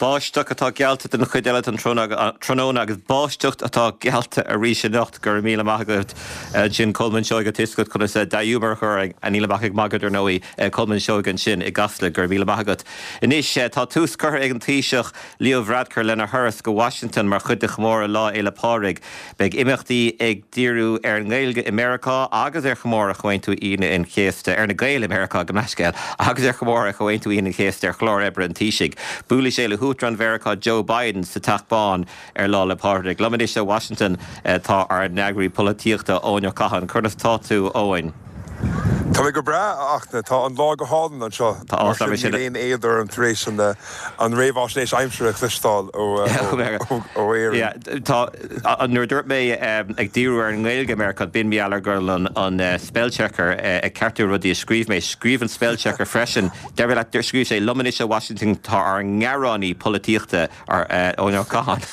Báisteach atá geallta don chuid eile den tráthnóna agus báisteach atá geallta arís anocht. Go raibh míle maith agat ansin Colmán Seoige, tá a fhios agat conas dea-ghiúmar a chur orainn. Nílim ach ag magadh dar ndóigh. Colmán Seoige ansin i gCasla. Go raibh míle maith agat. Anois tá tús curtha ag an Taoiseach Leo Varadkar lena thuras go Washington mar chuid de chomóradh Lá Fhéile Pádraig. Beidh imeachtaí ag díriú ar an nGaeilge i Meiriceá agus ar chomóradh Chomhaontú Aoine an Chéasta, ar na Gaeil i Meiriceá, gabh mo leithscéal, agus ar chomóradh Chomhaontú Aoine an Chéasta ar chlár oibre an Taoisigh. Buailfidh sé le hUachtarán Mheiriceá Joe Biden sa Teach Bán ar Lá 'le Pádraig. Liom anois ó Washington tá ár n-eagraí polaitíochta, Eoin Ó Catháin. Conas tá tú, Eoin? Tá mé go breá, a Fhachtna. Tá an lá go hálainn anseo. Mar sin níl aon éad orm tar éis an réamhaisnéis aimsire a chloisteáil ó Éirinn. Tá, nuair a dúirt mé ag díriú ar an nGaeilge i Meiriceá, b'in mar gheall ar go raibh an spellchecker ag ceartú rudaí a scríobh mé. Scríobh an spellchecker freisin, deir leat, scríobh sé, liom anois ó Washington tá ár ngearánaí polaitíochta, Eoin Ó Catháin.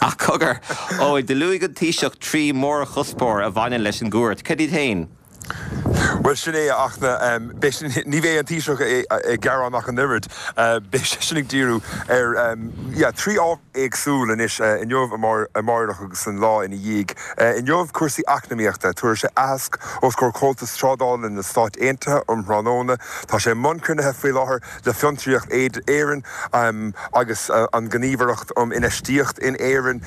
Ach cogar, Eoin, do luaigh an Taoiseach 3 mhórchuspóir a bhaineann leis an gcuairt. Cad iad féin? Bhuel, sin é, a Fhachtna. Ní bheidh an Taoiseach ag gearán ach an oiread. Beidh seisean ag díriú ar, yeah, 3 ábhar éagsúil anois, inniu, amáireach agus an lá ina dhiaidh. Inniu, cúrsaí eacnamaíochta. Tabharfaidh sé aitheasc os comhair Chomhaltas Trádála na Stát Aontaithe um thráthnóna. Tá sé i mbun cruinnithe faoi láthair le Fiontraíocht Éireann agus an Ghníomhaireacht um Infheistíocht in Éirinn.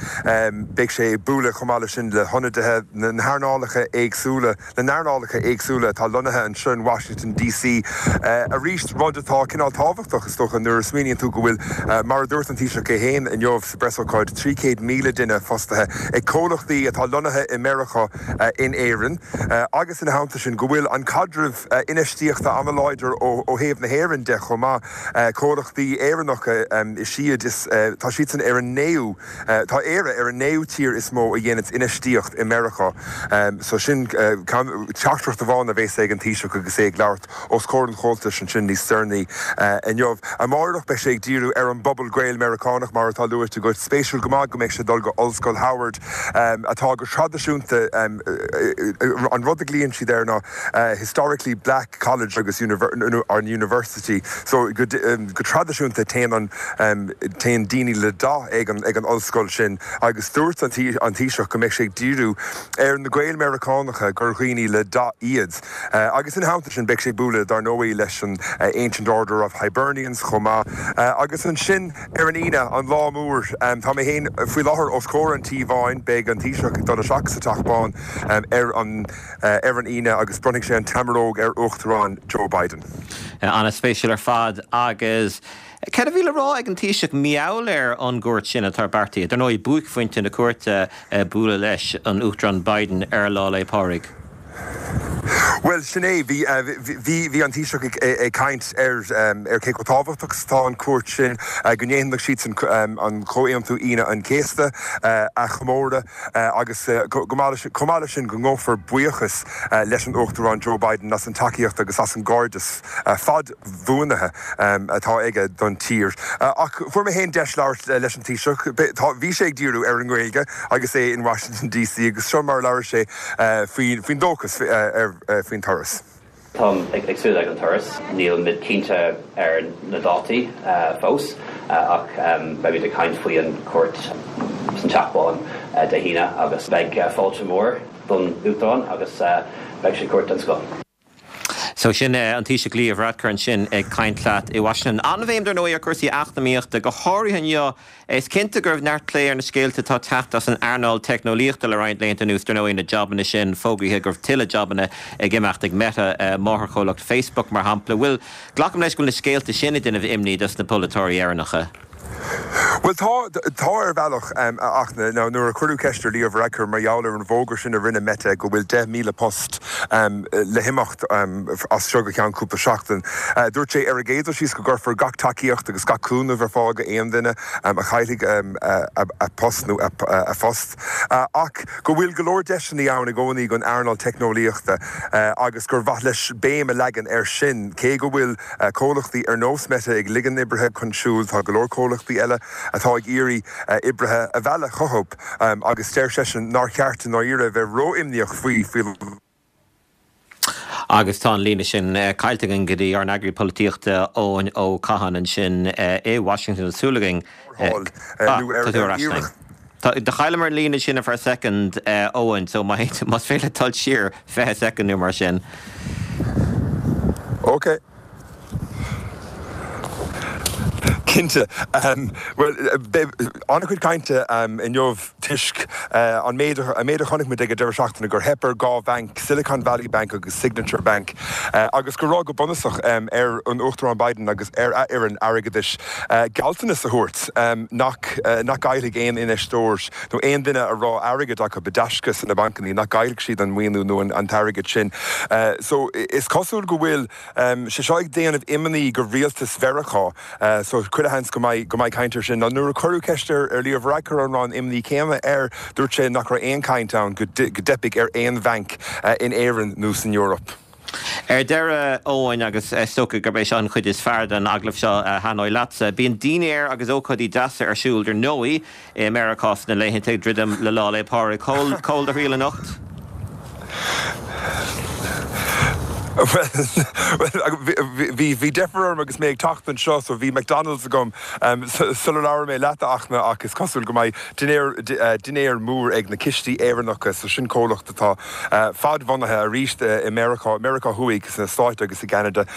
Beidh sé ag bualadh chomh maith leis sin le hionadaithe na n-earnálacha éagsúla, na n-earnálacha éagsúla atá lonnaithe anseo in Washington DC. Arís, rud atá cineál tábhachtach, is dócha, nuair a smaoiníonn tú go bhfuil, mar a dúirt an Taoiseach é féin inniu sa bpreasócáid, 300,000 duine fostaithe ag comhlachtaí atá lonnaithe i Meiriceá in Éirinn agus ina theannta sin go bhfuil an caidreamh infheistíochta an-láidir ó thaobh na hÉireann de chomh maith. Comhlachtaí Éireannacha is iad is, tá siadsan ar an naoú, tá Éire ar an naoú tír is mó a dhéananns infheistíocht i Meiriceá. So sin teachtaireacht amháin a bhéas ag an Taoiseach agus é ag labhairt os comhair an Chomhaltais ansin níos deireanaí inniu. Amáireach beidh sé ag díriú ar an bpobal Gael-Meiriceánach mar atá luaite agat. Spéisiúil go maith go mbeidh sé ag dul go Ollscoil Howard atá go traidisiúnta, an rud a ghlaonn siad air ná, historically black college agus an university so go traidisiúnta téann an téann daoine le dath ag an ag an ollscoil sin agus dúirt an an Taoiseach go mbeidh sé ag díriú ar na Gaeil Meiriceánacha gur dhaoine le dath iad agus ina theannta sin beidh sé ag bualadh dar ndóigh leis an Ancient Order of Hibernians chomh maith agus ansin ar an Aoine an lá mór tá mé féin faoi láthair os comhair an Tí Bháin beidh an Taoiseach ag dul isteach sa Teach Bán ar an ar an Aoine agus bronnfaidh sé an tseamaróg ar Uachtarán Joe Biden. An-spéisiúil ar fad agus céard a bhí le rá ag an Taoiseach mar gheall ar an gcuairt sin atá beartaithe? Dar ndóigh, buaicphointe na cuairte bualadh leis an Uachtarán Biden ar Lá 'le Pádraig. Bhuel, sin é. Bhí, bhí, bhí an Taoiseach ag, ag caint ar, ar cé chomh tábhachtach is atá an chuairt sin, go ndéanfadh siadsan an Comhaontú Aoine an Chéasta a chomóradh. agus chomh maith leis sin go ngabhfar buíochas leis an Uachtarán Joe Biden as an tacaíocht agus as an gcairdeas fadbhuanaithe atá aige don tír. Ach fuair mé féin deis labhairt leis an Taoiseach. Bhí sé ag díriú ar an nGaeilge agus é in Washington DC agus seo mar a labhair sé faoin dóchas faoin turas. Táim ag súil leis an turas. Nílimid cinnte ar na dátaí fós ach beimid ag caint faoi an chuairt san Teach Bán Dé hAoine agus beidh fáilte mór don Uachtarán agus beidh sé cuairt den scoth. So sin an Taoiseach Leo Varadkar ansin ag caint leat i Washington. An-bhéim dar ndóigh ar chúrsaí eacnamaíochta, go háirithe inniu Is cinnte go raibh neart plé ar na scéalta atá ag teacht as an earnáil teicneolaíochta le roinnt laethanta anuas. Dar ndóigh, na jabanna sin, fógraithe go raibh tuilleadh jabanna ag imeacht ag Meta, máthairchomhlacht Facebook, mar shampla. Bhuel, glacaim leis go bhfuil na scéalta sin ag déanamh imní dos na polaiteoirí Éireannacha. Bhuel, tá, tá ar bhealach, ach now nuair a cuireadh ceist ar Leo Varadkar mar gheall ar an bhfógra sin a rinne Meta go bhfuil 10,000 post le himeacht as seo go ceann cúpla seachtain, dúirt sé ar an gcéad dul síos go gcuirfear gach tacaíocht agus gach cúnamh ar fáil go aon duine a chaillfidh a post nó a phost ach go bhfuil go leor deiseanna ann i gcónaí don earnáil teicneolaíochta agus gur mhaith leis béim a leagan air sin. Cé go bhfuil comhlachtaí ar nós Meta ag ligean oibrithe chun siúil, tá go leor comhlachtaí eile atá ag iarraidh oibrithe a mhealladh chucu agus deir seisean nár cheart i ndáiríre a bheith ró-imníoch faoi faoi. Agus tá an líne sin caillte againn go dtí ár n-eagraí polaitíochta Eoin Ó Catháin ansin i Washington. Tá súil againn. Ah, tá tú ar ais linn. Do chailleamar an líne sin ar feadh soicind, Eoin, so más féidir leat dul siar 20 soicind nó mar sin. Ok. Cinnte. Bhuel, beidh an-chuid cainte inniu toisc an méid an méid a chonaic muid ag an deireadh seachtaine, gur theip ar dhá bhanc, Silicon Valley Bank agus Signature Bank, agus go raibh go bunúsach ar an Uachtarán Biden agus ar a fhoireann airgeadais gealltanas a thabhairt nach nach gcaillfidh aon infheisteoir nó aon duine a raibh airgead acu i dtaisce sna bancanna, nach gcaillfidh siad an maoiniú nó an t-airgead sin. So is cosúil go bhfuil sé seo ag déanamh imní go rialtas Mheiriceá so chuile sheans go mbeidh go mbeidh caint air sin. Now nuair a cuireadh ceist ar ar Leo Varadkar an raibh an imní céanna air, dúirt sé nach raibh aon chaint ann go go dteipfeadh ar aon bhanc in Éirinn nó san Eoraip. Ar deireadh, Eoin, agus is dócha gurb é seo an chuid is fearr den agallamh seo a thaitneoidh leatsa, bíonn dinnéir agus ócáidí deasa ar siúl, dar ndóigh, i Meiriceá sna laethanta ag druidim le Lá 'le Pádraig. Cá bhfuil do thriall anocht? Bhuel, bhí deifir orm agus mé ag teacht anseo so bhí McDonald's agam sular labhair mé leat, a Fhachtna, ach is cosúil go mbeidh dinnéar, dinnéar mór ag na Cistí Éireannacha, so sin comhlacht atá fadbhunaithe arís i Meiriceá, Meiriceá Thuaidh, sna Stáit agus i gCeanada,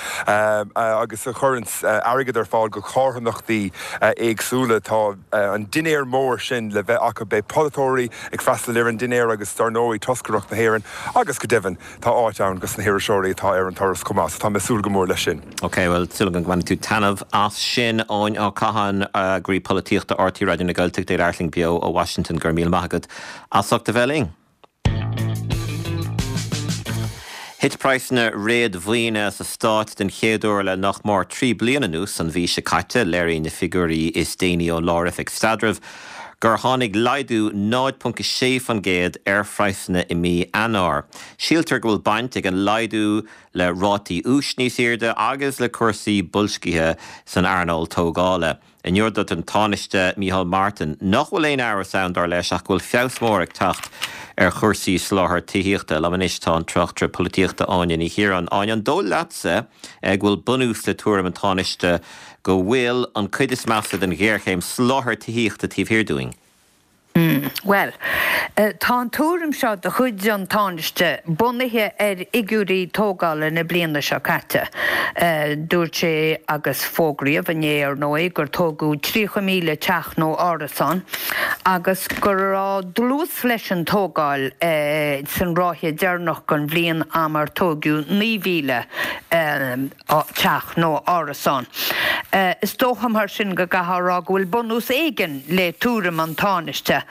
agus a chuireanns airgead ar fáil go carthanachtaí éagsúla. Tá an dinnéar mór sin le bheith acu. Beidh polaiteoirí ag freastal ar an dinnéar agus dar ndóigh toscaireacht na hÉireann agus go deimhin tá áit ann dos na hiriseoirí atá ar an turas chomh maith so tá mé ag súil go mór leis sin. Ok, bhuel, súil agam go mbainfidh tú taitneamh as sin. Eoin Ó Catháin, Eagraí Polaitíochta RTÉ Raidió na Gaeltachta ag labhairt linn beo ó Washington. Go raibh míle maith agat as ucht a bheith linn. Thit praghsanna réadmhaoine sa stát den chéad uair le nach mór 3 bliana anuas an mhí seo caite. Léiríonn na figiúirí is déanaí ón Lár-Oifig Staidrimh gur tháinig laghdú 0.6% ar phraghsanna i mí Eanáir. Síltear go bhfuil baint ag an laghdú le rátaí úis níos airde agus le cúrsaí boilscithe san earnáil tógála. Inniu dúirt an Tánaiste Micheál Martin nach bhfuil aon amhras ann, dar leis, ach go bhfuil feabhas mór ag teacht ar chúrsaí soláthair tithíochta. Liom anois tá an tráchtaire polaitíochta Áine Ní Chiaráin. Áine, an dóigh leatsa go bhfuil bunús le tuairim an Tánaiste go bhfuil an cuid is measa den ghéarchéim soláthair tithíochta taobh thiar dúinn? Bhuel, tá an tuairim seo de chuid an Tánaiste bunaithe ar fhigiúirí tógála na bliana seo caite. Dúirt sé, agus fógraíodh inné ar ndóigh, gur tógadh 30,000 teach nó árasán agus go raibh dlús leis an tógáil san ráithe deireanach den bhliain am ar tógadh 9,000. teach nó árasán. Is dócha mar sin go gcaithfeá a rá go bhfuil bunús éigin le tuairim an Tánaiste.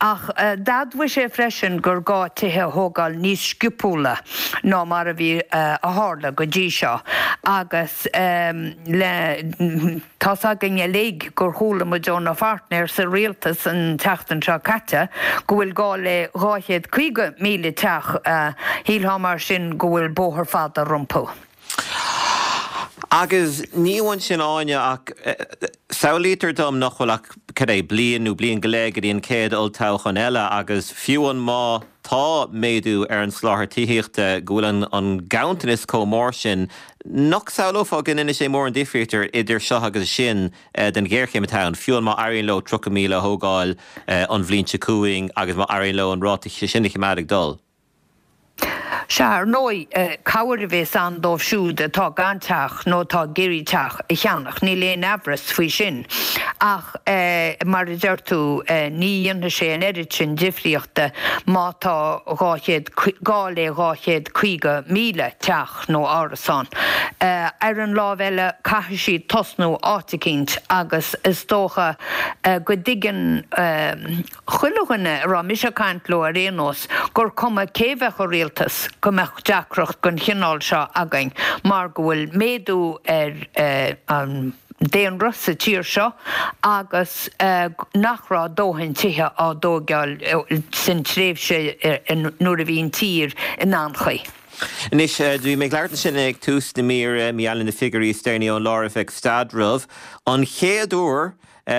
Ach d'admhaigh sé freisin gur gá tithe a thógáil níos sciopúla ná mar a bhí a tharla go dtí seo agus le Tá's againn uilig gur chuala muid óna pháirtnéir sa rialtas an tseachtain seo caite go bhfuil gá le 250,000 teach. Shílfeá mar sin go bhfuil bóthar fada rompu. Agus ní amháin sin Áine ach samhlaítear dom nach bhfuil ach, cad é, bliain nó bliain go leith go dtí an chéad olltoghchán eile agus fiú amháin má tá méadú ar an soláthar tithíochta go bhfuil an ganntanas chomh mór sin nach samhlófá go ndéanfaidh sé mórán difríochta idir seo agus sin den ghéarchéim atá ann, fiú amháin má éiríonn leo 30,000 a thógáil an bhliain seo chugainn agus má éiríonn leo an ráta sin a choimeád ag dul. Sea, ar ndóigh, cabhair a bhéas ann dóibh siúd atá gan teach nó atá ag iarraidh teach a cheannach, níl aon aimhreas faoi sin. Ach, mar a deir tú, ní dhéanfaidh sé an oiread sin difríochta má tá 200, gá le 250,000 teach nó árasán. Ar an lámh eile, caithfidh siad tosnú áit eicínt agus is dócha go dtuigeann, chuile dhuine a raibh mise ag caint leo ar aon nós, gur cuma cé bheadh i rialtas, go mbeadh deacracht den chineál seo againn mar go bhfuil méadú ar an daonra sa tír seo agus nach raibh dóthain tithe á dtóigeáil san tréimhse nuair a bhí an tír in anchaoi. Anois, bhí mé ag labhairt ansin ag tús na míre, mar gheall ar na figiúirí is deireanaí ón Lár-Oifig Staidrimh. An chéad uair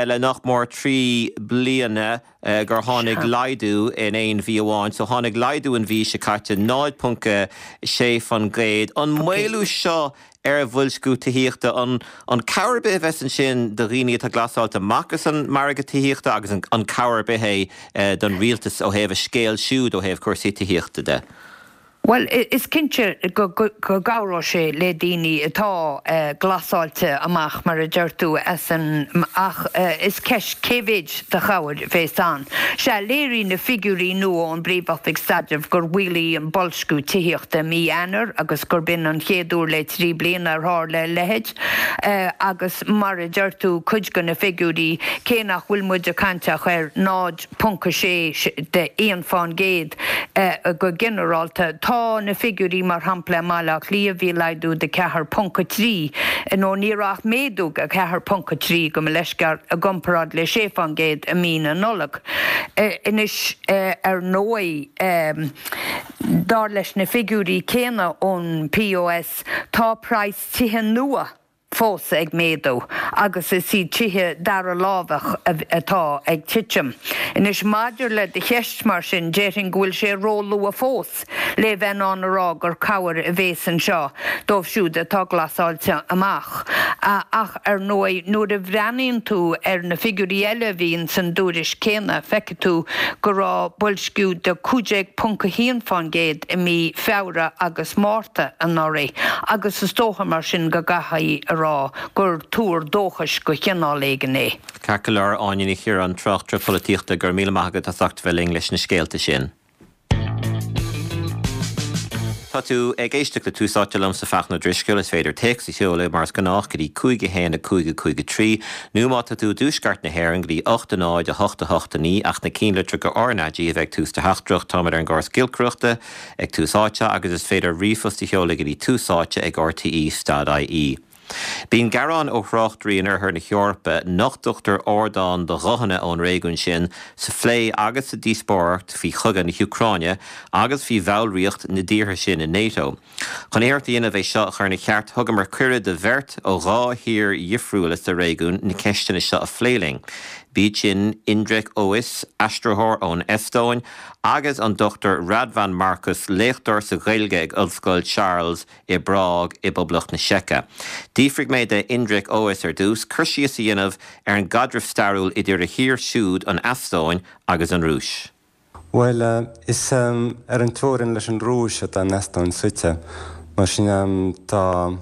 le nach mór 3 bliana gur tháinig laghdú in aon mhí amháin. So tháinig laghdú an mhí seo caite, 0.6%. An maolú seo ar bhoilsciú tithíochta, an cabhair ar bith a bheas ansin do dhaoine atá glasáilte amach as an margadh tithíochta agus an cabhair ar bith é don rialtas ó thaobh a scéal siúd ó thaobh cúrsaí tithíochta de? Bhuel, is cinnte go gcabhróidh sé le daoine atá glasáilte amach, mar a deir tú, as an, ach is ceist cé mhéid de chabhair a bhéas ann. Sea, léirigh na figiúirí nua ón bPríomh-Oifig Staidrimh gur mhaolaigh an boilsciú tithíochta i mí Eanáir agus gurb in an chéad uair le 3 bliana ar tharla a leithéid. Agus mar a deir tú, cuid de na figiúirí, cé nach bhfuil muid ag caint ach ar 0, 0.6 de 1% go ginearálta. Tá na figiúirí, mar shampla i mBaile Átha Cliath bhí laghdú de 4.3, nó ní raibh ach méadú de 4.3 gabh mo leithscéal, i gcomparáid le 6% i mí na Nollag. Anois, ar ndóigh, dar leis na figiúirí céanna ón POS, tá praghas tithe nua, fós ag méadú agus is iad tithe dara láimhe atá ag titim. Anois, maidir le do cheist, mar sin, déarfainn go bhfuil sé róluath fós le bheith in ann a rá gur cabhair a bhéas anseo dóibh siúd atá glasáilte amach. Ach, ar ndóigh, nuair a bhreathnaíonn tú ar na figiúirí eile a bhíonn san dtuairisc céanna, feicfidh tú go raibh boilsciú de 15.1% i mí Feabhra agus Márta anuraidh agus is dócha mar sin go gcaithfí a rá gur tuar dóchais de chineál éigin é. Ceart go leor, Áine Ní Chiaráin, tráchtaire polaitíochta, go raibh míle maith agat as ucht a bheith linn leis na scéalta sin. Tá tú ag éisteacht le Tús Áite liomsa Fachtna Ó Drisceoil. Is féidir téacs a sheoladh mar is gnách go dtí 5 1 5 5 3 nó má tá tú i dtuaisceart na hÉireann go dtí 8 0 8 8 9 ach na cinnlitreacha RnaG a bheith ag tús do theachtaireacht. Táimid ar an gcóras giolcaireachta ag Tús Áite agus is féidir ríomhphost a sheoladh go dtí túsáite ag rte stad ie. Bíonn gearáin ó thráchtairí in oirthear na hEorpa nach dtugtar ardán do ghuthanna ón réigiún sin sa phlé agus sa díospóireacht faoi chogadh na hÚcráine agus faoi bhallraíocht na dtíortha sin in NATO. Chun iarracht a dhéanamh é seo a chur ina cheart, thugamar cuireadh do bheirt ó dhá thír dhifriúla sa réigiún na ceisteanna seo a phlé linn. B'iad sin Indrek Ois, aistritheoir ón Eastóin, agus an Dr Radvan Markus, léachtóir sa Ghaeilge ag Ollscoil Charles i bPrág i bPoblacht na Seice. D'fhiafraigh mé de Indrek Ois ar dtús cur síos a dhéanamh ar an gcaidreamh stairiúil idir a thír siúd, an Eastóin, agus an Rúis. Bhuel, is ar an teorainn leis an Rúis atá an Eastóin suite, mar sin tá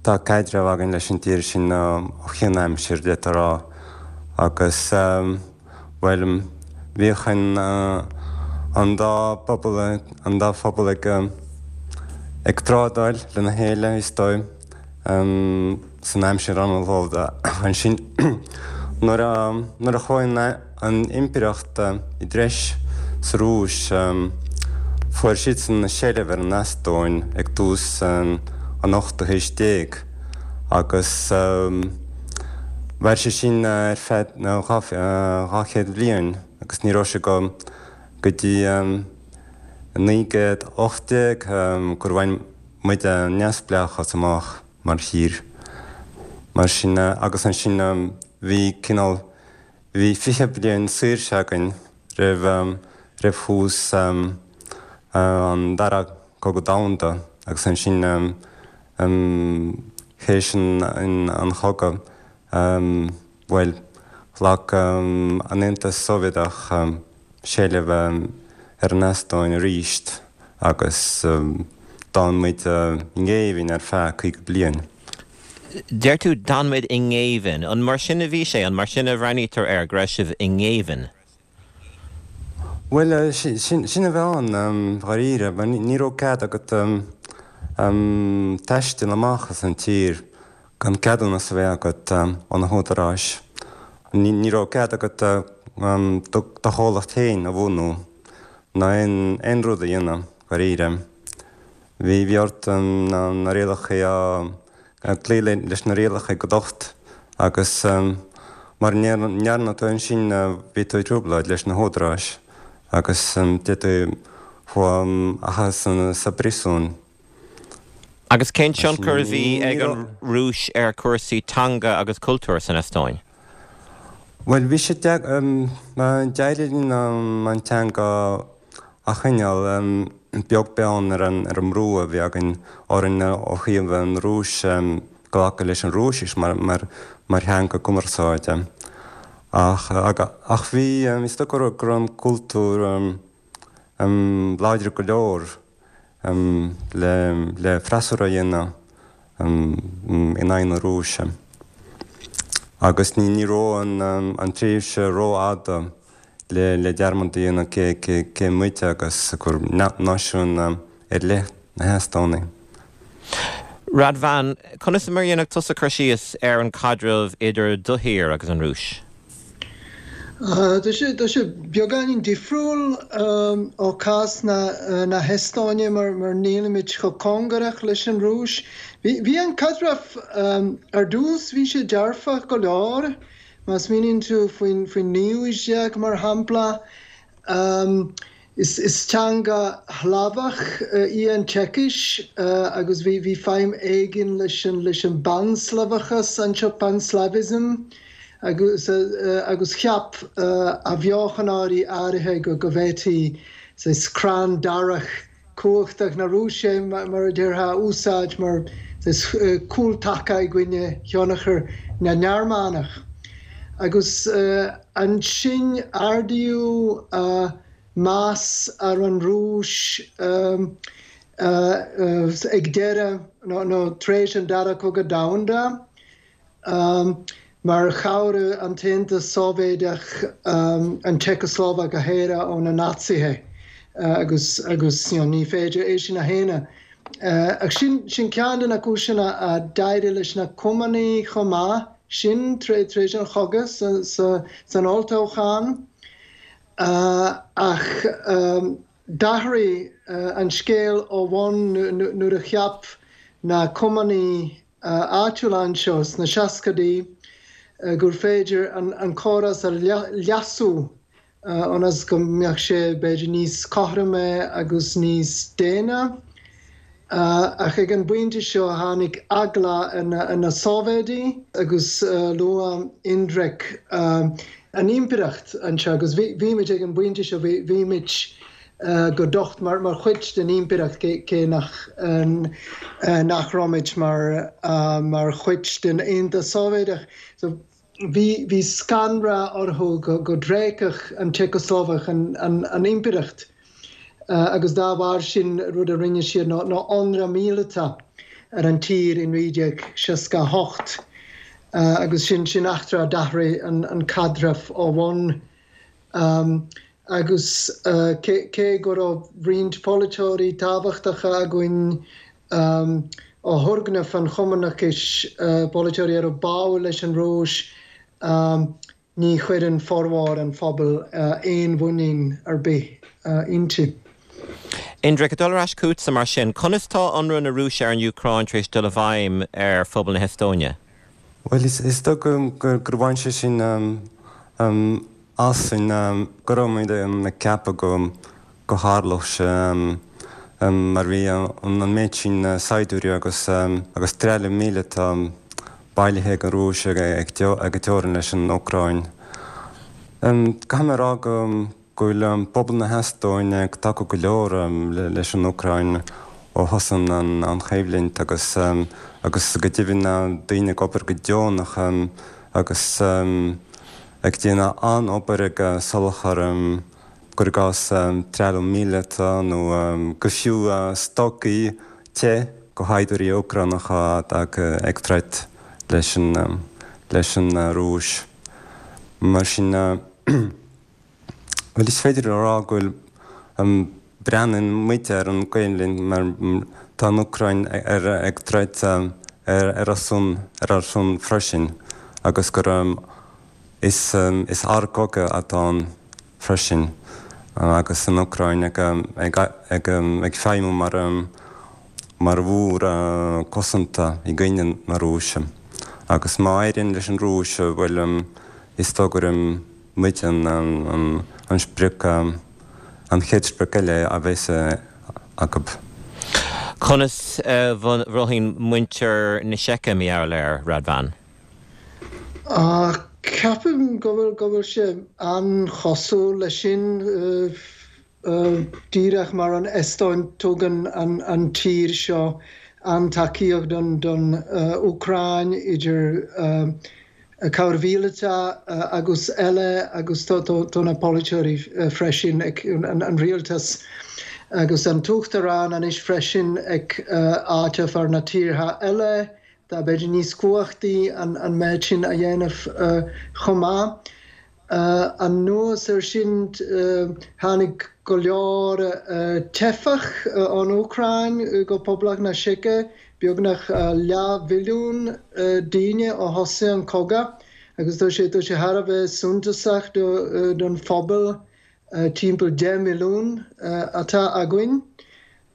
tá caidreamh againn leis an tír sin ó chianaimsir, d'fhéadfá a rá. Agus, bhuel, bhíodh an an dá phobal, an dá phobal ag ag trádáil lena chéile, is dóigh, san aimsir anallód. Ansin, nuair a nuair a chuaigh an an impireacht i dtreis sa Rúis, fuair siadsan seilbh ar an Eastóin ag tús an ochtú haois déag agus mhair sé sin ar feadh 200 bliain agus ní raibh sé go go dtí 1918 gur bhain muid an neamhspleáchas amach mar thír. Mar sin, agus ansin bhí cineál, bhí 20 bliain saoirse againn roimh, roimh thús an Dara Cogadh Domhanda agus ansin théis an chogadh, bhuel, ghlac an Aontas Sóivéadach seilbh ar an Eastóin arís agus d'fhan muid i ngéibheann ar feadh 50 bliain. Deir tú 'd'fhan muid i ngéibheann'. An mar sin a bhí sé? An mar sin a bhreathnaítear air, go raibh sibh i ngéibheann? Bhuel, sin a bhí ann, dháiríre. Ní raibh cead agat taisteal amach as an tír gan ceadúnas a bheith agat ó na húdaráis. Ní raibh cead agat do chomhlacht féin a bhunú ná aon rud a dhéanamh, dháiríre. Bhí ort na rialacha a cloí leis na rialacha go docht agus mura ndearna tú ansin bhí tú i dtrioblóid leis na húdaráis agus d'fhéadfaí thú a chaitheamh sa bpríosún. Agus cén tionchar a bhí ag an Rúis ar chúrsaí teanga agus cultúir san Eastóin? Bhuel, bhí sé d'éirigh linn an teanga a choinneáil, beag beann ar an mbrú a bhí againn orainn ó thaobh an Rúis glacadh leis an Rúisis mar theanga cumarsáide. Ach ach bhí, is dóigh go raibh an cultúr láidir go leor le freasúra a dhéanamh in aghaidh na Rúise. Agus ní raibh an tréimhse rófhada le dearmad a dhéanamh cé muid agus gur náisiún ar leith na hEastónaigh. Radvan, conas mar a dhéanfadh tusa cur síos ar an chaidreamh idir do thír agus an Rúis? Tá sé tá sé beagáinín difriúil ó chás na hEastóine mar mar nílimid chomh cóngarach leis an Rúis. Bhí bhí an caidreamh ar dtús bhí sé dearfach go leor. Má smaoiníonn tú faoin faoin naoú haois déag mar shampla, is is teanga Shlavach í an tSeicis agus bhí bhí feidhm éigin leis an leis an bPan-Slavachas anseo, Pan-Slavism, agus agus cheap athbheochanóirí áirithe go go bhféadfaí saghas crann darach cumhachtach na Rúise, mar a déarfá, a úsáid mar chúltaca i gcoinne thionchar na nGearmánach. Agus ansin ardaíodh meas ar an Rúis ag deireadh nó tar éis an Dara Cogadh Domhanda. Mar chabhraigh an tAontas Sóivéadach an tSeiceaslóvaic a shaoradh ó na Naitsithe agus agus ní féidir é sin a shéanadh. Ach sin sin ceann de na cúiseanna a d'éirigh leis na Cumannaigh chomh maith sin tar éis an chogaidh san olltoghchán. Ach d'athraigh an scéal ó bhun nuair a cheap na Cumannaigh áitiúla anseo sna seascaidí gur féidir an córas a leasú ionas go mbeadh sé b'fhéidir níos cothroime agus níos daonna. Ach ag an bpointe seo tháinig eagla ar na Sóivéadaigh agus luaigh Indrek an impireacht anseo agus bhí muid ag an bpointe seo, bhí muid go docht mar chuid den impireacht, cé nach nach raibh muid mar mar chuid den Aontas Sóivéadach. So bhí bhí scanradh orthu go go dtréigfeadh an tSeiceaslóvaic an an an impireacht agus dá bharr sin rud a rinne siad ná ná ionradh míleata ar an tír i 1968 agus sin sin eachtra a d'athraigh an an caidreamh ó bhun. Agus cé go raibh roinnt polaiteoirí tábhachtacha againn ó thurgnamh an chumannachais, polaiteoirí a raibh báúil leis an Rúis, ní chuireann formhór an phobail aon mhuinín ar bith inti. Indrek, ag dul ar ais chugatsa mar sin, conas tá ionradh na Rúise ar an Úcráin tar éis dul i bhfeidhm ar phobal na hEastóine? Bhuel, is dóigh gur bhain sé sin asainn, go raibh muid ag ceapadh go tharlódh sé mar bhí an méid sin saighdiúirí agus agus trealamh míleata bailithe ag an Rúis ag an teorainn leis an Úcráin. Caithfidh mé a rá go go bhfuil pobal na hEastóine ag tacú go leor leis an Úcráin ó thosaigh an choimhlint agus agus go deimhin daoine ag obair go deonach agus ag déanamh an-obair ag soláthar cuir i gcás trealamh míleata nó go fiú stocaí te go shaighdiúirí Úcránacha atá ag troid leis an leis an Rúis. Mar sin. Bhuel, is féidir a rá go bhfuil, breathnaíonn muid ar an gcoimhlint mar tá an Úcráin ag troid ar ár son, ar ár son freisin agus gur is is ár gcogadh atá ann freisin agus an Úcráin ag ag ag ag feidhmiú mar mar mhúr cosanta i gcoinne na Rúise agus má éiríonn leis an Rúis, bhuel, is dóigh gur muid an sprioc, an chéad sprioc eile a bheas acu. Conas a mhothaíonn muintir na Seice mar gheall air, Radvan? Ceapaim go bhfuil go bhfuil sé an-chosúil leis sin. Díreach mar an Eastóin, tugann an tír seo an-tacaíocht don Úcráin, idir cabhair mhíleata agus eile, agus tá na polaiteoirí freisin, an rialtas agus an tUachtarán anois freisin ag áiteamh ar na tíortha eile atá b'fhéidir níos cumhachtaí an méid sin a dhéanamh chomh maith. Anuas air sin, tháinig go leor teifeach ón Úcráin go Poblacht na Seice, beagnach leathmhilliún daoine ó thosaigh an cogadh, agus tá sé thar a bheith suntasach don phobal timpeall 10 milliún atá againn.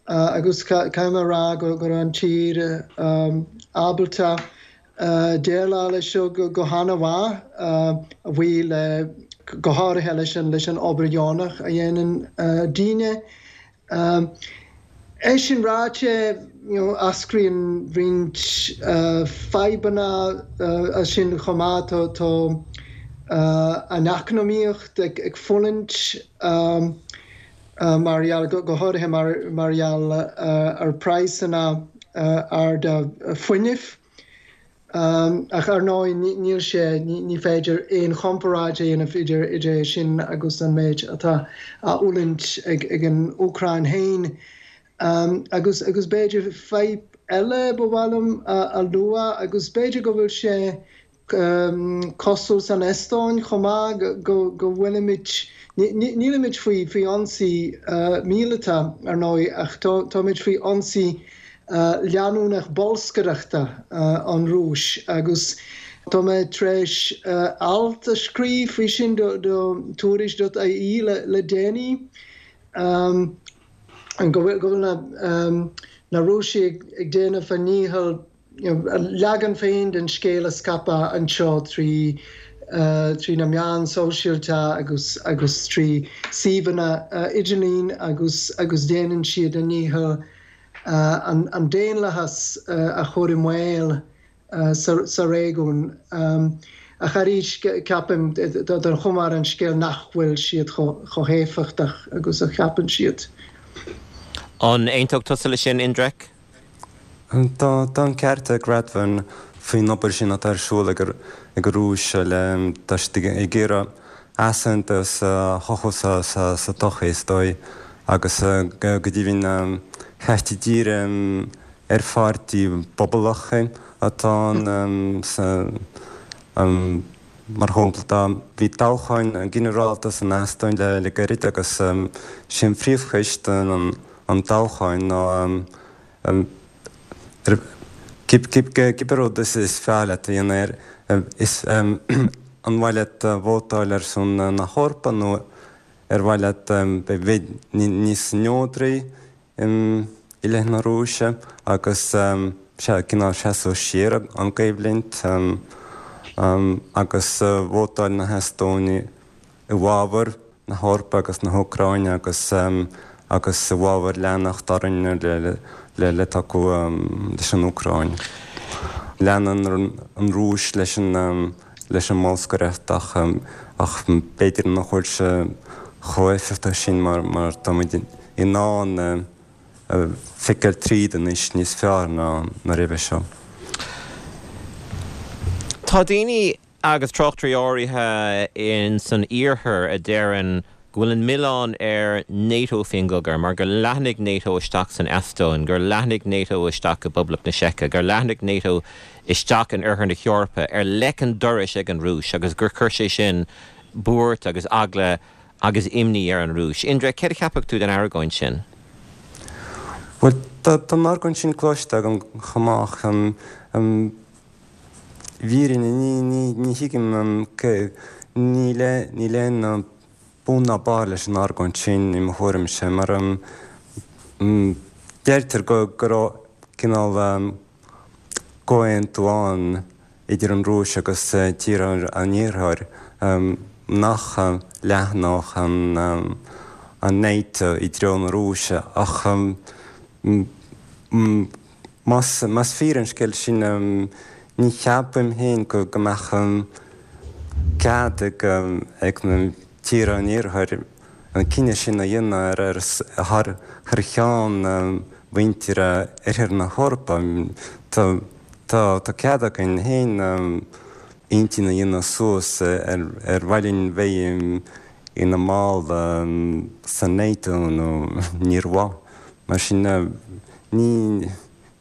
Agus caithfidh mé a rá go raibh an tír ábalta déileáil leis seo go han-mhaith, a bhuí le, go háirithe leis an leis an obair dheonach a dhéanann daoine. É sin ráite, eascraíonn roinnt fadhbanna as sin chomh maith. Tá an eacnamaíocht ag fulaingt. mar gheall, go háirithe mar gheall ar praghsanna arda fuinnimh. Ach ar ndóigh níl sé, ní féidir aon chomparáid a dhéanamh idir é sin agus an méid atá á fhulaingt ag an Úcráin féin. Agus agus b'fhéidir fadhb eile ba mhaith liom a lua agus b'fhéidir go bhfuil sé cosúil san Eastóin chomh maith, go bhfuilimid, nílimid faoi ionsaí míleata, ar ndóigh, ach táimid faoi ionsaí leanúnach bolscaireachta ón Rúis agus tá mé tar éis alt a scríobh faoi sin do Tuairisc.ie le déanaí, go bhfuil na Rúisigh ag déanamh a ndícheall a leagan féin den scéal a scaipeadh anseo trí trí na meáin sóisialta agus agus trí suíomhanna idirlín agus agus déanann siad a ndícheall an daonlathas a chur i mbaol sa réigiún. Ach arís, ceapaim, don chuma ar an scéal nach bhfuil siad chomh héifeachtach agus a cheapann siad. An aontódh tusa leis sin, Indrek? Tá an ceart ag Radvan faoin obair sin atá ar siúl ag an Rúis le, tá siad ag iarraidh easaontas a chothú sa tsochaí is dóigh agus go deimhin ceist díreach ar pháirtí pobalach atá ann sa Mar shampla tá, bhí toghcháin ginearálta san Eastóin le gairid agus sé an phríomhcheist an toghcháin ná cibé rud is fearr leat a dhéanamh ar is an mhaith leat vótáil ar son na hEorpa nó ar mhaith leat bheith níos neodraí i leith na Rúise agus sea, cineál seasamh siar ón gcoimhlint agus vótáil na hEastónaigh i bhfabhar na hEorpa agus na hÚcráine agus agus i bhfabhar leanacht orainn le le tacú leis an Úcráin. Leanann an Rúis leis an leis an mbolscaireacht ach ach b'fhéidir nach bhfuil sé chomh éifeachtach sin mar mar tá muid in ann feiceáil tríd anois níos fearr ná roimhe seo. Tá daoine agus tráchtairí áirithe in san iarthar a deireann go bhfuil an milleán ar NATO faoin gcogadh mar gur leathnaigh NATO isteach san Eastóin, gur leathnaigh NATO isteach i bPoblacht na Seice, gur leathnaigh NATO isteach in oirthear na hEorpa ar leic an dorais ag an Rúis agus gur chuir sé sin buairt agus eagla agus imní ar an Rúis. Indrek, céard a cheapfadh tú den argóint sin? Bhuel, tá an argóint sin cloiste agam chomh maith ach i bhfírinne ní thuigim níl aon bun ná barr leis an argóint sin i mo thuairimse mar deirtear go raibh cineál comhaontú ann idir an Rúis agus tíortha an Iarthair nach leathnódh an NATO i dtreo na Rúise ach. Más más fíor an scéal sin, ní cheapaim féin go go mbeadh cead ag ag na tíortha an Iarthair an cinneadh sin a dhéanamh ar ar thar thar cheann mhuintir Oirthear na hEorpa. Tá tá tá cead againn féin intinn a dhéanamh suas ar ar mhaith linn bheith ina mball sa NATO nó níor mhaith. Mar sin, ní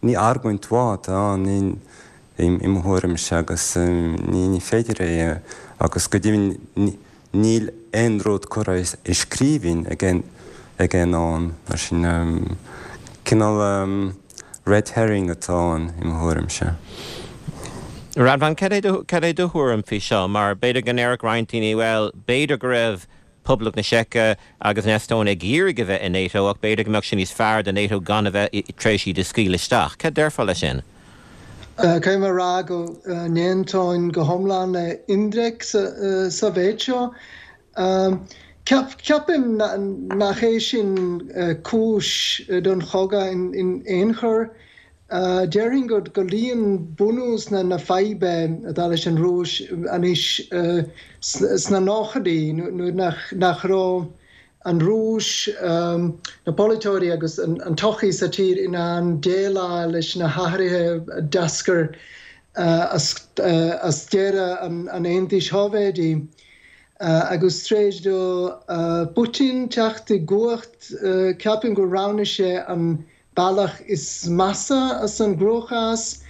ní argóint mhaith atá ann i mo thuairimse agus ní féidir é agus go deimhin níl aon rud curtha i scríbhinn ag aon am. Mar sin, cineál red herring atá ann i mo thuairimse. Radvan, cad é do thuairim faoi seo? Mar b'fhéidir go ndéarfadh roinnt daoine, bhuel, b'fhéidir go raibh Poblacht na Seice agus an Eastóin ag iarraidh a bheith i NATO ach b'fhéidir go mbeadh sé níos fearr do NATO gan a bheith tar éis iad a scaoileadh isteach. Cad déarfá leis sin? Caithfidh mé a rá go n-aontóinn go hiomlán le Indrek sa mhéid seo. Ceapaim nach é sin cúis don chogadh in aon chor. Déarfainn go luíonn bunús na faidhbe atá leis an Rúis anois sna nóchaidí, nuair nach raibh an Rúis, na polaiteoirí agus an tsochaí sa tír in ann déileáil leis na hathruithe a d'eascair as deireadh an Aontais Shóivéadaigh. Agus tar éis do Putin teacht i gcumhacht, ceapaim gur roghnaigh sé an bealach is measa as an gcruachás,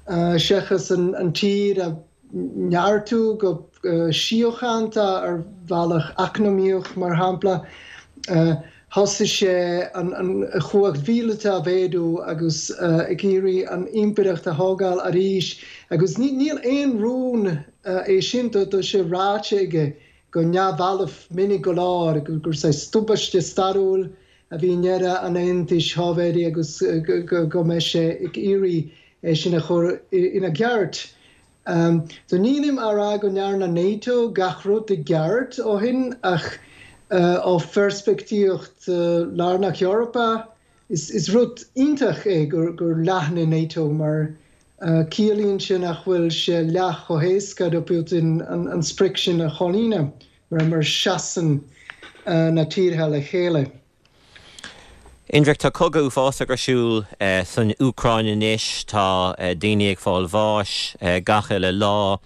seachas an tír a neartú go síochánta ar bhealach eacnamaíoch, mar shampla. Thosaigh sé an chumhacht mhíleata a mhéadú agus ag iarraidh an impireacht a thógáil arís. Agus níl aon rún é sin, tá sé ráite aige go neamhbhalbh minic go leor gur saghas tubaiste stairiúil a bhí i ndeireadh an Aontais Shóivéadaigh agus go mbeidh sé ag iarraidh é sin a chur ina gceart. So nílim á rá go ndearna NATO gach rud i gceart ó shin ach ó pheirspictíocht Lár na hEorpa is rud iontach é gur leathnaigh NATO mar ciallaíonn sé nach bhfuil sé leath chomh héasca do Putin an sprioc sin a chomhlíonadh. mar seasann na tíortha le chéile. Indrek, tá cogadh uafásach ar siúl san Úcráin anois, tá daoine ag fáil bháis gach uile lá.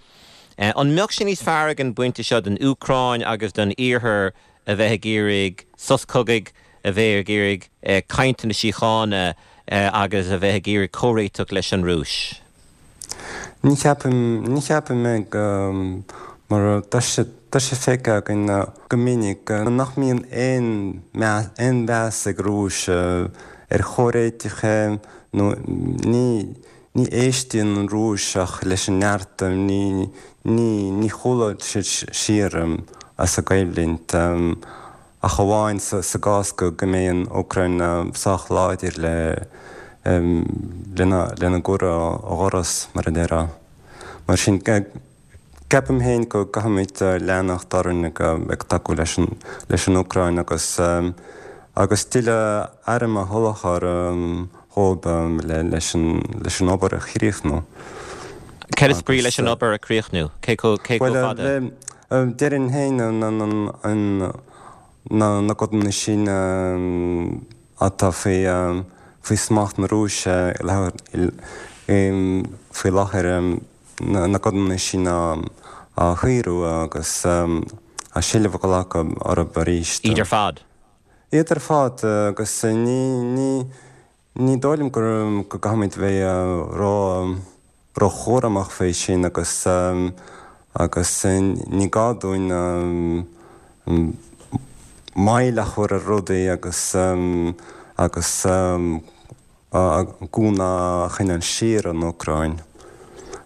An mbeadh sé níos fearr ag an bpointe seo don Úcráin agus don Iarthar a bheith ag iarraidh sos cogaidh, a bheith ag iarraidh cainteanna síochána agus a bheith ag iarraidh comhréiteach leis an Rúis? Ní cheapaim, ní cheapaim é go, mar tá sé, tá sé feicthe againn go minic nach mbíonn aon meas, aon mheas ag Rúis ar chomhréiteacha nó ní, ní éistíonn an Rúis ach leis an neart, ní, ní, ní chúlóidh siad siar as a gcoimhlint. ach amháin sa gcás go mbeidh an Úcráin sách láidir le lena gcur ó dhoras, mar a déarfá. Mar sin, ceapaim féin go gcaithfimid leanacht orainn ag tacú leis an Úcráin agus agus tuilleadh airm a sholáthar dhóibh leis an obair a chríochnú. Cad is brí leis an obair a chríochnú? Cé chomh fada? Déarfainn féin na codanna sin atá faoi smacht na Rúise faoi láthair, na codanna sin a shaoradh agus a seilbh a ghlacadh orthu arís. Iad ar fad? Iad ar fad agus ní Ní dóigh liom go gcaithfimid bheith ró róchúramach faoi sin agus agus ní gá dúinn moill a chur ar rudaí agus agus gúna a choinneáil siar ón Úcráin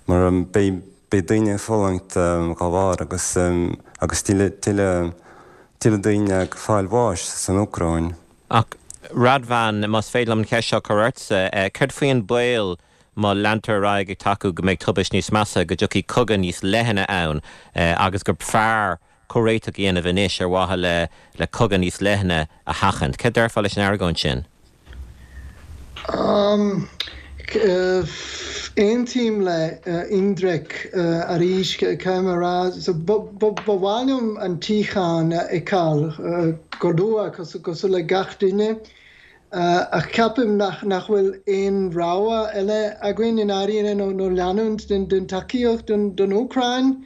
mar beidh beidh daoine ag fulaingt dá bharr agus agus tuilleadh tuilleadh tuilleadh daoine ag fáil bháis san Úcráin. Ach, Radvan, más féidir liom an cheist seo a chur ortsa, céard faoi an baol má leantar ar aghaidh ag tacú go mbeidh tubaist níos measa, go dtiocfaidh cogadh níos leithne ann agus gur fearr comhréiteach a dhéanamh anois ar mhaithe le le cogadh níos leithne a sheachaint? Céard déarfá leis an argóint sin? Aontaím le Indrek arís, caithfidh mé a rá. Ba mhaith liom an tsíocháin a fheiceáil go luath, cosúil le gach duine. Ach ceapaim nach bhfuil aon rogha eile againn i ndáiríre nó leanúint den tacaíocht don Úcráin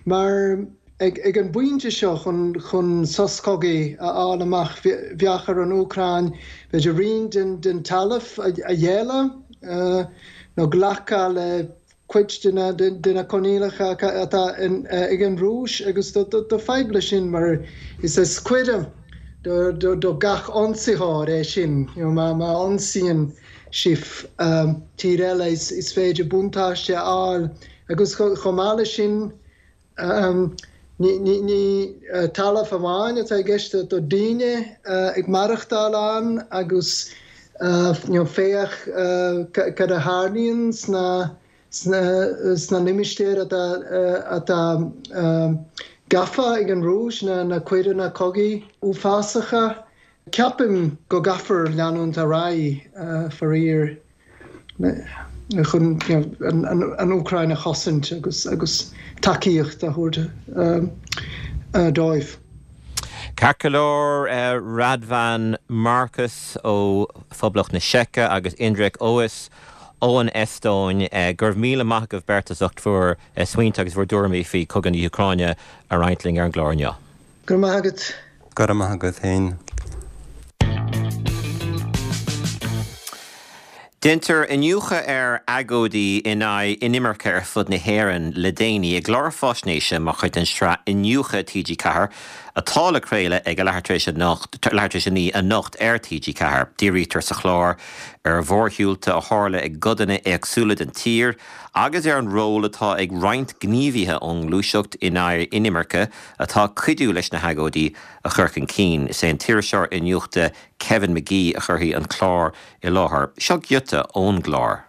mar ag an bpointe seo chun sos cogaidh a fháil amach bheadh ar an Úcráin b'fhéidir roinnt den talamh a ghéilleadh nó glacadh le cuid de na coinníollacha atá ag an Rúis agus tá fadhb leis sin mar is is cuireadh do gach ionsaitheoir é sin. Má ionsaíonn sibh tír eile is féidir buntáiste a fháil agus chomh maith leis sin ní talamh amháin atá i gceist, tá daoine ag maireachtáil ann agus féach cad a tharlaíonn sna sna limistéir atá gafa ag an Rúis, na coireanna cogaidh uafásacha. Ceapaim go gcaithfear leanúint ar aghaidh, faraor, chun an Úcráin a chosaint agus tacaíocht a thabhairt dóibh. Ceart go leor, Radvan Markus ó Phoblacht na Seice agus Indrek Ois ón Eastóin, go raibh míle maith agaibh beirt as ucht bhur smaointe agus bhur dtuairimí faoi chogadh na hÚcráine a roinnt linn ar an gclár inniu. Go raibh maith agat. Go raibh maith agat féin. Déantar iniúchadh ar agóidí in aghaidh inimirce ar fud na hÉireann le déanaí i gclár faisnéise mar chuid den tsraith Iniúchadh TG4 atá le craoladh ag a leathuair tar éis a leathuair tar éis a 9 anocht ar TG4. Dírítear sa chlár ar mhórshiúlta a tharla i gcodanna éagsúla den tír agus ar an ról atá ag roinnt gníomhaithe ón ngluaiseacht in aghaidh inimirce atá ag cuidiú leis na hagóidí a chur chun cinn. Is é an t-iriseoir iniúchta Kevin Magee a chuirfidh an clár i láthair. Seo giota ón gclár.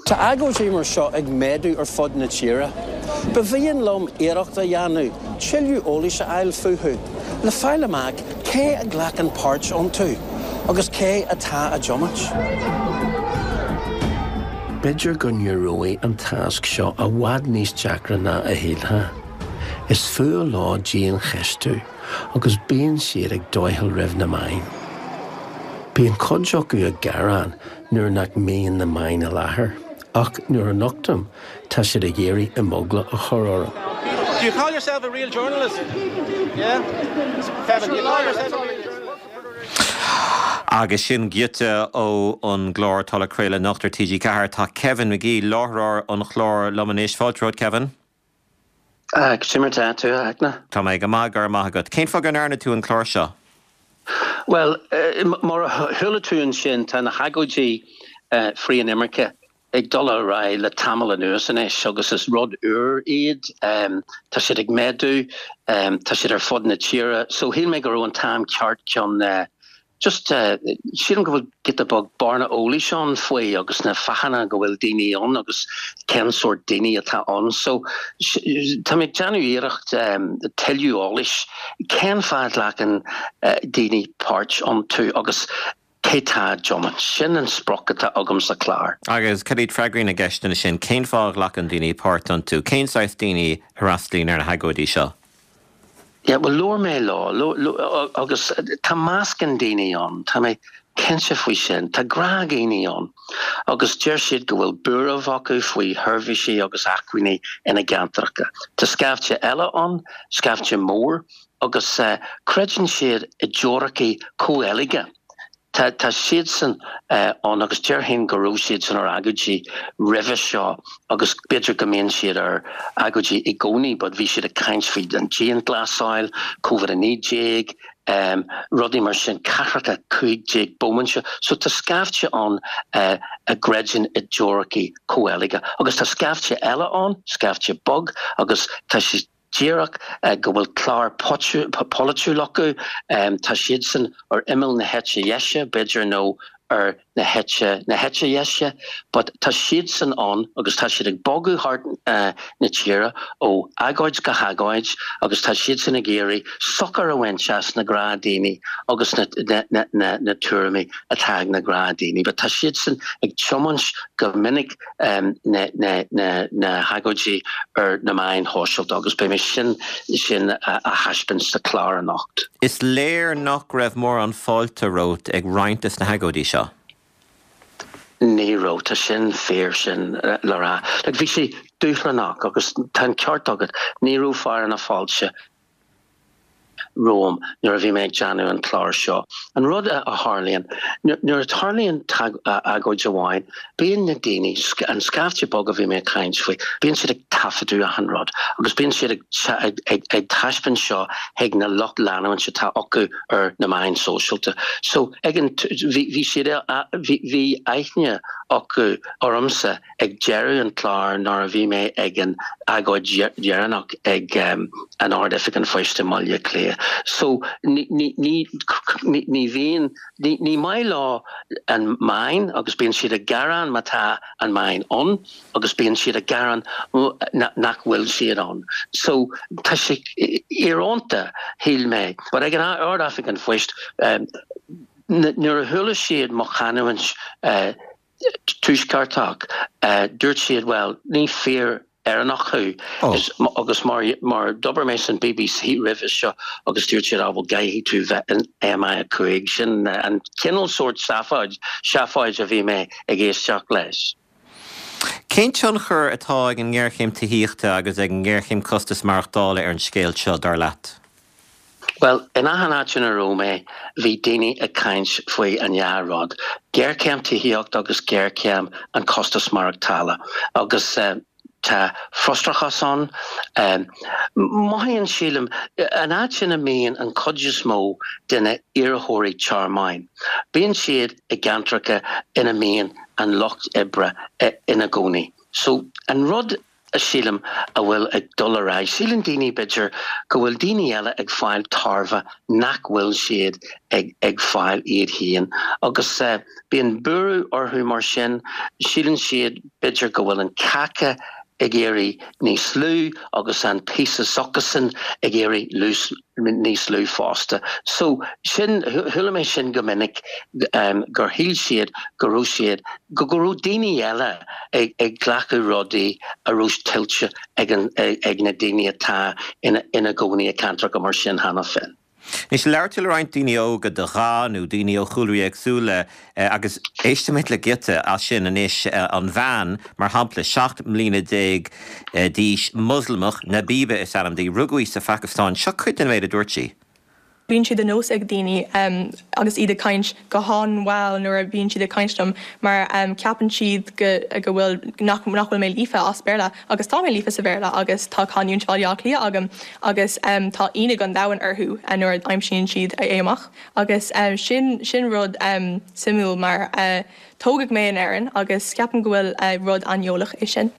Tá agóidí mar seo ag méadú ar fud na tíre. Ba mhian liom iarracht a dhéanamh tuilleadh eolais a fháil fúthu, le fáil amach cé a ghlacann páirt iontu agus cé atá á dtiomáint. B'fhéidir go n-éireoidh an tasc seo i bhfad níos deacra ná a shílfeá. Is fuath leo diancheistiú agus bíonn siad ag doicheall roimh na meáin. Bíonn cuid acu ag gearán nuair nach mbíonn na meáin i láthair, ach nuair a nochtaim, tá siad ag iarraidh imeagla a chur orm. Do you call yourself a real journalist? Yeah? Kevin, do you call yourself a real journalist? Agus sin giota ó an gclár atá le craoladh anocht ar TG4. Tá Kevin Magee, láithreoir an chláir, liom anois. Fáilte romhat, Kevin. Cad é mar atá tú, a Fhachtna? Tá mé go maith, go raibh maith agat. Cén fáth go ndearna tú an clár seo? Bhuel, mar a chuala tú ansin, tá na hagóidí frith-inimirce ag dul ar aghaidh le tamall anuas anois agus is rud úr iad. Tá siad ag méadú, tá siad ar fud na tíre. So shíl mé go raibh an t-am ceart chun just sílim go bhfuil giota beag bearna eolais ann faoi agus na fáthanna go bhfuil daoine ann agus cén sórt daoine atá ann. So tá mé ag déanamh iarracht tuilleadh eolais cén fáth a ghlacann daoine páirt iontu agus cé tá á dtiomáint. Sin an sprioc atá agam sa chlár. Agus cad iad freagraí na gceisteanna sin? Cén fáth a ghlacann daoine páirt iontu? Cén saghas daoine a fhreastalaíonn ar na hagóidí seo? Yeah, bhuel, labhair mé leo, agus tá meascán daoine ann, tá mé cinnte faoi sin. Tá gnáthdhaoine ann agus deir siad go bhfuil buaireamh acu faoi sheirbhísí agus acmhainní ina gceantracha. Tá scaifte eile ann, scaifte mór, agus creideann siad i dteoiricí comhcheilge. Tá tá siadsan ann agus déarfainn go raibh siadsan ar agóidí roimhe seo agus b'fhéidir go mbíonn siad ar agóidí i gcónaí but bhí siad ag caint faoi an dianghlasáil, Covid-19, rudaí mar sin, cathracha 15 bomaite. So tá scaifte ann a gcreideann i dteoiricí comhcheilge agus tá scaifte eile ann, scaifte beag agus tá siad díreach go bhfuil clár polaitiúil acu. Tá siadsan ar imeall na heite dheise, b'fhéidir, nó ar. na heite, na heite dheise, but tá siadsan ann agus tá siad ag bogadh thart na tíre ó agóid go hagóid agus tá siadsan ag iarraidh sochar a bhaint as na gnáthdhaoine agus na, na, na, na tuairimí atá ag na gnáthdhaoine. But tá siadsan ag tiomáint go minic na, na, na, na hagóidí ar na meáin shóisialta agus beidh mé sin, sin a thaispeáint sa chlár anocht. Is léir nach raibh mórán fáilte romhat ag roinnt de na hagóidí seo. Ní raibh, tá sin fíor sin le rá. Like bhí sé dúshlánach agus tá an ceart agat, ní raibh fearadh na fáilte romham nuair a bhí mé ag déanamh an clár seo. An rud a tharlaíonn, nuair a tarlaíonn agóid amháin, bíonn na daoine, an scaifte beag a bhí mé ag caint faoi, bíonn siad ag taifeadadh achan rud agus bíonn siad ag taispeáint seo chuig na lucht leanúint atá acu ar na meáin sóisialta. So ag an, bhí siad, bhí aithne acu ormsa ag deireadh an chláir nuair a bhí mé ag an agóid dheireanach ag an Ard-Oifig an Phoist i mBaile Átha Cliath. So ní, ní, ní, ní bhíonn, ní, ní maith leo an meáin agus bíonn siad ag gearán má tá an meáin ann agus bíonn siad ag gearán nach bhfuil siad ann. So tá sé íorónta, shíl mé. But ag an Ard-Oifig an Phoist, nuair a chuala siad mo chanúint, Tuaisceartach, dúirt siad, bhuel, ní fíor Éireannach thú. Agus mar mar d'obair mé san BBC roimhe seo agus dúirt siad, ah bhuel caithfidh tú bheith in MI5. Sin an cineál sórt seafáid, seafáid a bhí mé ag éisteacht leis. Cén tionchar atá ag an ngéarchéim tithíochta agus ag an ngéarchéim costas maireachtála ar an scéal seo, dar leat? Bhuel, in achan áit ina raibh mé, bhí daoine ag caint faoi an dhá rud, géarchéim tithíochta agus géarchéim an costas maireachtála. Agus tá frustrachas ann. Mothaíonn, sílim, an áit ina mbíonn an chuid is mó de na iarrthóirí tearmainn, bíonn siad i gceantracha ina mbíonn an lucht oibre ina gcónaí. So, an rud a sílim a bhfuil ag dul ar aghaidh. Síleann daoine, b'fhéidir, go bhfuil daoine eile ag fáil tairbhe nach bhfuil siad ag ag fáil iad féin. Agus bíonn buaireamh orthu mar sin. Síleann siad, b'fhéidir, go bhfuil an cáca ag éirí níos lú agus an píosa s'acusan ag éirí níos lú fosta. So, sin, chuala mé sin go minic, gur shíl siad go raibh siad, go raibh daoine eile ag glacadh rudaí a raibh tuillte ag an, ag na daoine atá ina gcónaí i gceantracha mar sin cheana féin. Anois, labhair tú le roinnt daoine óga de dhath nó daoine ó chúlraí éagsúla agus éistfimid le giota as sin anois. An bhean, mar shampla, 17 mbliana d'aois, Moslamach, Nabiba is ainm di, rugadh í sa Phacastáin. Seo cuid den méid a dúirt sí. Bíonn sé de nós ag daoine agus iad ag caint go han-mhall nuair a bhíonn siad ag caint liom mar ceapann siad go go bhfuil nach nach bhfuil mé líofa as Béarla agus tá mé líofa sa Bhéarla agus tá canúint Bhaile Átha Cliath agam agus tá ionadh an domhain orthu nuair a aimsíonn siad é amach agus sin sin rud suimiúil mar tógadh mé in Éirinn agus ceapaim go bhfuil rud aineolach é sin.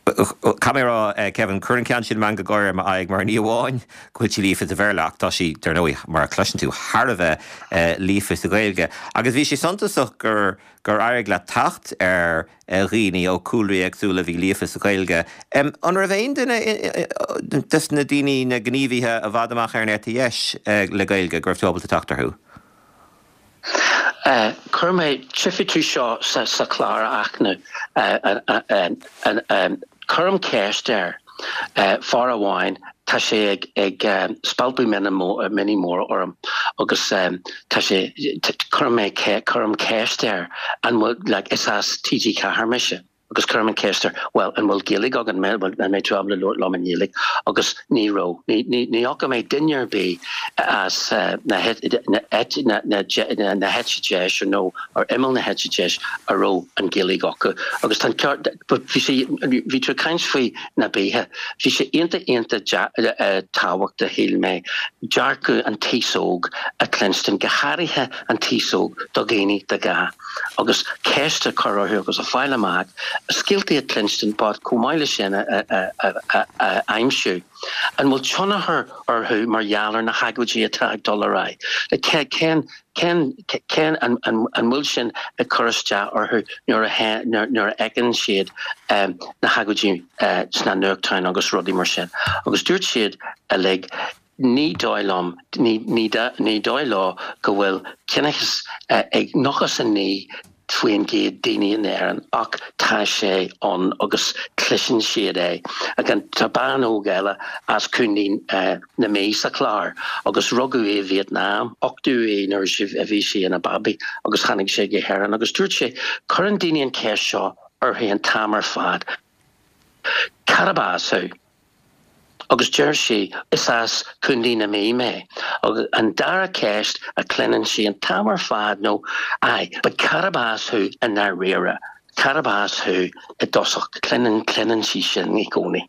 Caithfidh mé a rá, Kevin, cuireann an ceann sin meangadh gáire ar m'aghaidh mar ní amháin go bhfuil sí líofa sa Bhéarla ach tá sí, dar ndóigh, mar a chloiseann tú, thar a bheith líofa sa Ghaeilge. Agus bhí sé suntasach gur gur éirigh leat teacht ar dhaoine ó chúlraí éagsúla a bhí líofa sa Ghaeilge. An raibh aon duine des na daoine, na gníomhaithe i bhfad amach ar an eite dheis le Gaeilge go raibh tú ábalta teacht orthu? Chuir mé, tchífidh tú seo sa chlár a Fhachtna, cuirim ceist ar fear amháin, tá sé ag spalpadh mionnaí móra orm agus tá sé, cuirim mé, cuirim ceist air an bhfuil, like, is as TG4 mise. Agus cuirim an ceist air, bhuel, an bhfuil Gaeilge agat, an mbeidh tú ábalta labhairt liom i nGaeilge? Agus ní raibh. Ní fhaca mé duine ar bith as na heite deise nó ar imeall na heite deise a raibh an Ghaeilge acu. Agus tá an ceart, bhí sé, bhí tú ag caint faoi Nabiha, bhí sé iontach iontach tábhachtach, shíl mé, dearcadh an t-aos óg a chluinstin, go háirithe an t-aos óg do dhaoine de dhath. agus ceist a chur orthu agus a fáil amach, scéaltaí a chluinstin but chomh maith leis sin a a aimsiú an bhfuil tionchar orthu mar gheall ar na hagóidí atá ag dul ar aghaidh. Like cén cén cén an an an bhfuil sin ag cur isteach orthu nuair a nuair a fheiceann siad na hagóidí sna nuachtáin agus rudaí mar sin. Agus dúirt siad uilig Ní dóigh liom, ní dóigh leo go bhfuil ciníochas ag 99% daoine in Éirinn ach tá sé ann agus cloiseann siad é. Tá bean óg eile as Contae na Mí sa chlár agus rugadh í i Vietnam, uchtú í nuair a bhí sí ina babaí agus tháinig sé go hÉirinn agus dúirt sé, cuireann daoine an cheist seo uirthi an t-am ar fad, cárb as thú? Agus deir sí, Is as Contae na Mí mé. Agus an dara ceist a chluineann sí an t-am ar fad nó, Aye, but cárb as thú i ndáiríre? Cárb as thú i dtosach? Cluineann, cluineann sí sin i gcónaí.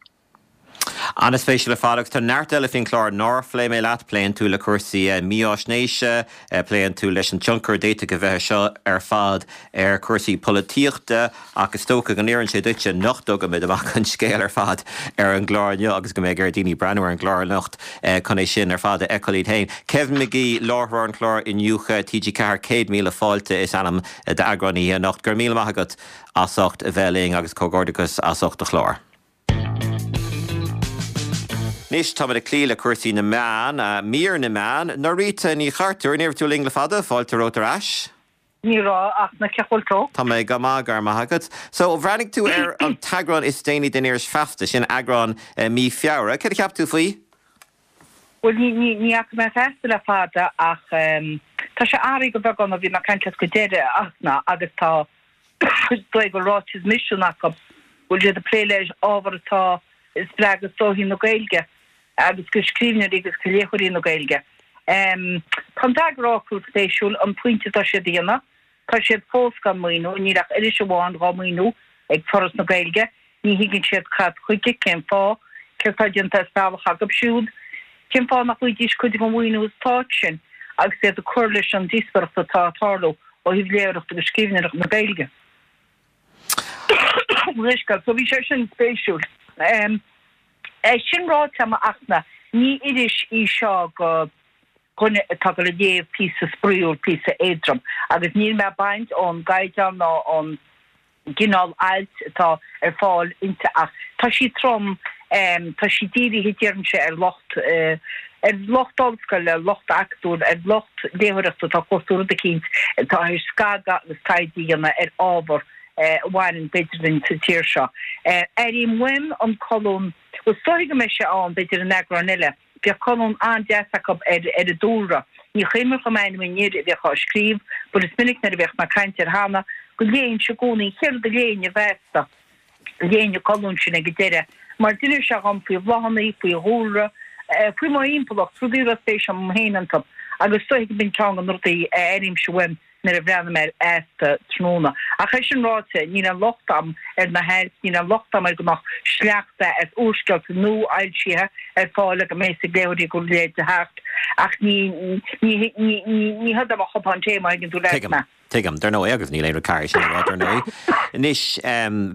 An-spéisiúil ar fad agus tá neart eile faoin chlár nár phléigh mé leat. Pléann tú le cúrsaí mífháisnéise, pléann tú leis an tionchar a d'fhéadfadh a bheith air seo ar fad ar chúrsaí polaitíochta ach is dócha go n-oireann sé duitse nach dtugaimid amach an scéal ar fad ar an gclár inniu agus go mbeidh ar dhaoine breathnú ar an gclár anocht chun é sin ar fad a fheiceáil iad féin. Kevin McGee, láithreoir an chláir Iniúchadh TG4, 100,000 Fáilte is ainm d'eagrán oíche anocht. Go raibh míle maith agat as ucht a bheith linn agus comhghairdeachas as ucht do chlár. Anois táimid ag cloí le cúrsaí na meán, mír na meán. Norita Ní Chartúir, ní raibh tú linn le fada, fáilte romhat ar ais. Ní raibh, ach cén chaoi a bhfuil tú? Tá mé go maith, go raibh maith agat. So, bhreathnaigh tú ar an t-eagrán is déanaí den iris Feasta, sin eagrán mí Feabhra. Céard a cheap tú faoi? Bhuel, ní, ní, ní fhaca mé Feasta le fada ach tá sé athraithe go beagán ó bhí mé ag caint leat go deireanach agus tá, is dóigh go bhfuil ráiteas misin acu, go bhfuil siad ag plé le ábhar atá ag spreagadh stóichín na Gaeilge agus go scríbhneoirí agus go léitheoirí na Gaeilge. Tá an t-eagarfhocal spéisiúil, an pointe atá siad a dhéanamh, tá siad fós gan maoiniú, níl ach iris amháin dhá maoiniú ag Foras na Gaeilge, ní thuigeann siad cad chuige, cén fáth, céard atá déanta as bealach acu siúd, cén fáth nach bhfaighidís cuid den mhaoiniú stáit sin agus iad ag cur leis an díospoireacht atá ag tarlú ó thaobh léitheoireacht agus scríbhneoireacht na Gaeilge. Leithscéal. So bhí sé sin spéisiúil. É sin ráite agam a Fhachtna, ní iris í seo go dhuine atá ag dul a léamh píosa spraíúil, píosa éadrom agus níl mé ag baint ón gcaighdeán ná ón gcineál ailt atá ar fáil inti ach tá sí trom, tá sí dírithe déarfainnse ar lucht, ar lucht ollscoile, ar lucht acadúil, ar lucht léitheoireachta atá ag cuartú rud eicínt atá ag scagadh agus taighde a dhéanamh ar ábhar a bhaineann b'fhéidir linn sa tír seo. Airím uaim an colún, bhuel is dóiche go mbeidh sé ann b'fhéidir in eagrán eile, Bhíodh colún an-deas acu ar ar an dúlra. Ní cuimhin liom ainm an fhir a bhíodh á scríobh, but is minic nuair a bhíodh mé ag caint air cheana, go léinnse i gcónaí, an chéad rud a léinn i bhFeasta, léinn an colún sin ag an deireadh, mar d'inis sé dhom faoi bhláthanna, faoi dhúlra, faoi mo thimpeallacht, rudaí a raibh spéis agam féin iontu, agus is dóiche go b'in ceann de na rudaí a airímse uaim. nuair a bhreathnaím ar Fheasta tráthnóna. Ach é sin ráite, níl aon locht agam ar na hailt, níl aon locht agam ar go mbeadh sleachta as úrscéalta nuafhoilsithe ar fáil ag mé is ag léitheoirí go léir de theacht, ach ní, ní, ní, ní hiod é mo chupán tae, má thuigeann tú leat mé. Tuigim, dar ndóigh, agus níl aon rud cearr sin a rá, dar ndóigh. Anois,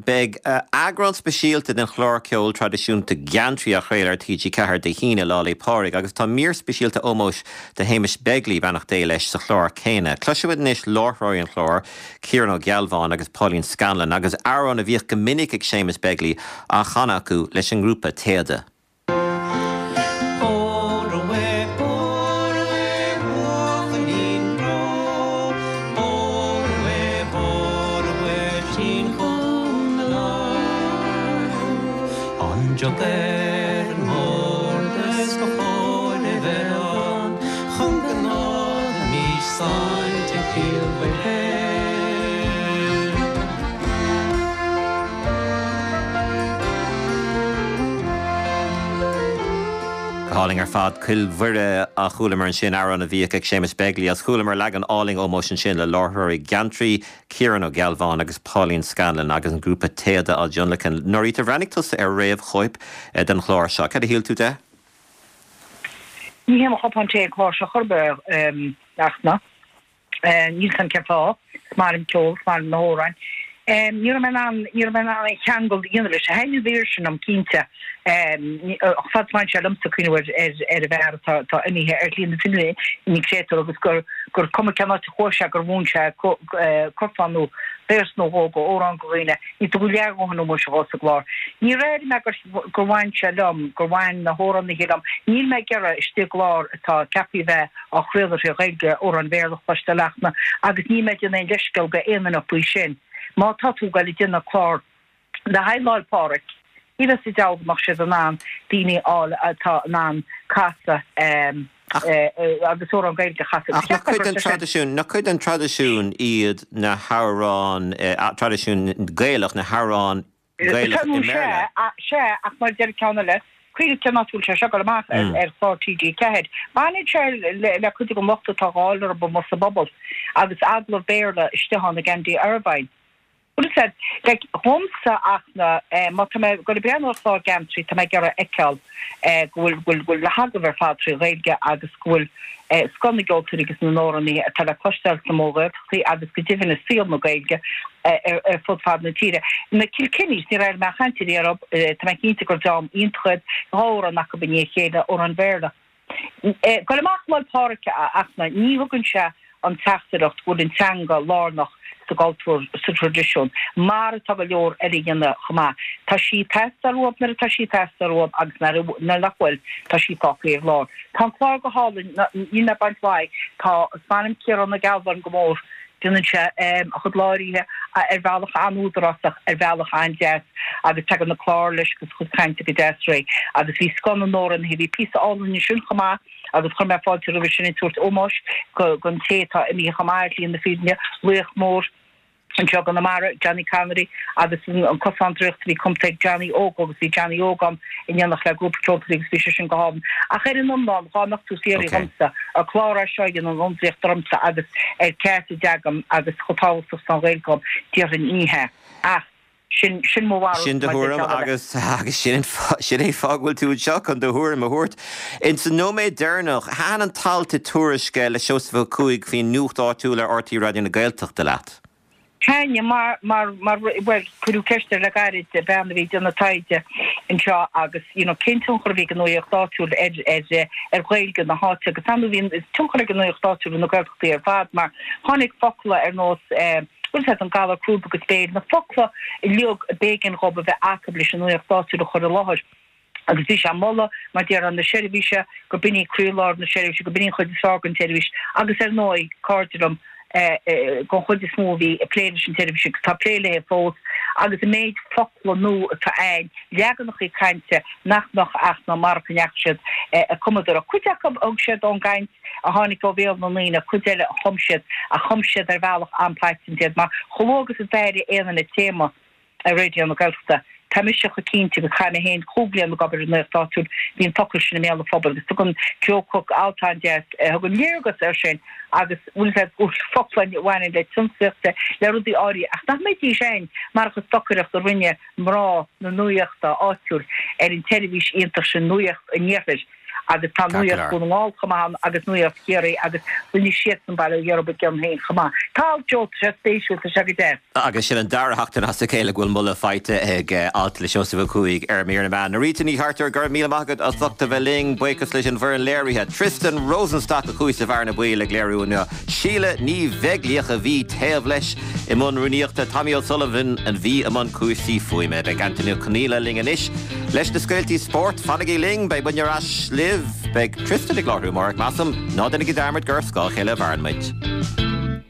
beidh eagrán speisialta den chlár ceoil traidisiúnta Geantraí á chraoladh ar TG4 Dé hAoine, Lá 'le Pádraig, agus tá mír speisialta ómóis do Shéamus Begley, beannacht Dé leis, sa chlár céanna. Cloisfimid anois láithreoirí an chláir, Ciarán Ó Gealbháin agus Pauline Scanlon, agus amhrán a bhíodh go minic ag Séamus Begley á chanadh acu leis an ngrúpa Téada. Chun go n-ólfaimis saillte Chill Mhuire. Go hálainn ar fad. Cill Mhuire a chualamar ansin, amhrán a bhíodh ag Séamus Begley agus chualamar leagan álainn ómóis ansin le láithreoirí Geantraí, Ciarán Ó Gealbháin agus Pauline Scanlon agus an grúpa Téada á dtionlacan. Norita, bhreathnaigh tusa ar réamhchóip den chlár seo. Cad a shíl tú de? Ní hé mo chupán tae an clár seo chor ar bith, a Fhachtna. Níl 's a'm cén fáth. Is maith liom ceol, is maith liom na hamhráin. Ní raibh mé in ann, ní raibh mé in ann aon cheangal a dhéanamh leis. Thaitin an mhír sin liom, cinnte. Ach fad is a bhain sé liomsa cuimhneamh ar, ar, ar an bhfear atá, atá imithe ar shlí na fírinne, an créatúr, agus gur, gur cuma cén áit a chuaigh sé gur mhúin sé curfá nó véarsa nó dhó go amhrán go dhaoine. Ní tugadh leathdhóthain ómóis dhó sa gclár. Níor airigh mé gur, gur bhain sé liom, gur bhain na hamhránaithe liom. Níl mé ag iarraidh istigh i gclár atá ceaptha a bheith á chraoladh tré Ghaeilge, amhráin Bhéarla a chloisteáil a Fhachtna, agus níl mé ag déanamh aon leithscéal go aon duine faoi sin. Má tá tú ag goil ag déanamh clár le haghaidh Lá'il Pádraig, ní bheadh sa diabhal go mbeadh siad in ann daoine a fháil atá in ann casadh agus amhrán Gaeilge a chasadh. Ach nach cuid den traidisiún, nach cuid den traidisiún iad na hamhráin, traidisiún Gaelach, na hamhráin Gaelach i mBéarla. Sea, ach mar a deir an ceann eile, cuimhnigh cén áit a bhfuil sé seo ag dul amach, ar chlár TG4. Baineann sé le cuid den locht atá á fháil orthu amuigh sa bpobal agus agallamh Béarla istigh ann ag Andy Irvine. Bhuel, is ea, like, dhomsa ach na, má tá mé ag dul ag breathnú ar chlár Geantraí, tá mé ag iarraidh a fheiceáil go bhfuil, go bhfuil na hagallaimh ar fad trí Ghaeilge agus go bhfuil scoth na gceoltóirí agus na n-amhránaithe atá le cloisteáil sna Mórghaeltachtaí agus go deimhin i saol na Gaeilge ar fud fad na tíre. Na Kilkennys, níor airigh mé aon chaint ariamh orthu, tá mé cinnte gur dream iontach iad, 2 amhrán acu i ndiaidh a chéile, amhráin Bhéarla. Goil amach Lá'il Pádraig a Fhachtna, ní thugann sé an teachtaireacht go bhfuil an teanga lárnach sa gcultúr, sa traidisiún, mar atá go leor eile a dhéanamh chomh maith. Tá sí ag teastáil uathub nuair atá sí ag teastáil uathub agus nuair nach bhfuil, tá sí fágtha ar lár. Tá an clár go hálainn, níl mé ag baint mhaith, tá, is maith liom Ciarán Ó Gealbháin go mór, déanann sé a chuid láithrithe ar bhealach an-údarásach, ar bhealach an-deas agus tagann na cláir leis agus a chuid cainte go deas réidh. Agus bhí scoth na n-amhránaithe, bhí píosa álainn ansin chomh maith agus chuir mé fáilte roimhe sin ag tabhairt ómóis don té atá imithe chomh maith ar shlí na fírinne, laoch mór anseo i gConamara, Johnny Connery, agus an Cosán Draíochta a bhí cumtha ag Johnny Óg agus bhí Johnny Óg ann in éineacht le grúpa ceoltóirí agus bhí sé sin go hálainn. Ach ar an iomlán, dhá mbeadh tú ag fiafraí dhomsa, ar clár é seo a dhéanann ionadaíocht ormsa agus ar ceart a dteagaim agus chomh tábhachtach is atá an Ghaeilge dhom, déarfainn ní hea. Ach. Sin, sin mo bharúil Sin do maidir thuairim le agus, agus sin an fáth, sin é an fáth go bhfuil tú anseo, chun do thuairim a thabhairt. Ins an nóiméad deireanach, thaitin an t-alt i Tuairisc le Seosamh Ó Cuaig faoin nuacht áitiúil ar RTÉ Raidió na Gaeltachta leat? Thaitin, mar, mar, mar, bhuel, cuireadh ceist air le gairid, bean a bhí ag déanamh taighde anseo agus, you know, cén tionchar a bhí ag an nuaíocht áitiúil ar, ar, ar Ghaeilge na háite agus ar ndóigh bhí tionchar ag an nuaíocht áitiúil ar na Gaeltachtaí ar fad mar tháinig focla ar nós eh, Bhfuil fhios agat, an galar crúb agus béil, na focla uilig a b'éigean dhób a bheith acu leis an nuaíocht áitiúil a chur i láthair. Agus bhí sé ag moladh, mar déarfá, na seirbhíse, gur b'in í croílár na seirbhíse, gur b'in í an chuid is fearr den tseirbhís. Agus ar ndóigh, cairde liom, den chuid is mó a bhí ag plé leis an tseirbhís agus atá ag plé léi fós, agus an méid focla nua atá ann, leaganachaí cainte nach mbeadh ach ná marach go ndeachaigh siad ag cumadóireacht. Cuid acu a thug siad ón gcaint a tháinig ó bhéal na ndaoine, cuid eile a chum siad, ach chum siad ar bhealach an-paiteanta iad, mar chomh luath agus a d'airigh aon duine téama ar Raidió na Gaeltachta, tá mise chomh cinnte agus chaith mé féin chúig bliana ag obair i nuacht áitiúil, bhí an focal sin i mbéal an phobail agus tugann Joe Cooke alt an-deas a thugann léargas air sin agus bhfuil fhios agat, focla a bhaineann le tionsclaíocht, le rudaí áirithe ach nach mbeidís ann marach an stocaireacht a rinne mná na nuaíochta áitiúil ar an tseirbhís iontach sin, Nuacht an Iarthair. agus tá Nuacht Dhún na nGall chomh maith ann agus Nuacht Chiarraí agus rinne siadsan bail ó Dhia orthu i gcion féin chomh maith. Tá alt Joe, tá sé spéisiúil, tá sé go deas. Agus sin an dara sheachtain as a chéile go bhfuil moladh faighte ag alt le Seosamh Ó Cuaig ar Mír na Meán. Rita Ní Chartúir, go raibh míle maith agat as ucht a bheith linn. Buíochas leis an bhfoireann léirithe, Tristan Rosenstock a chuaigh sa bhearna baoil ag léiriú inniu, Síle Ní Bheaglaoich a bhí taobh leis i mbun rúnaíochta, Tommy O'Sullivan a bhí i mbun cúrsaí fuaime. Beidh Antaine Ó Conghaile linn anois leis na scéaltaí spóirt. Fanaigí linn, beidh muidne ar ais libh. Beidh Tristan ag láithriú amárach, measaim. Ná déanaigí dearmad gur ar scáth a chéile a mhaireann muid.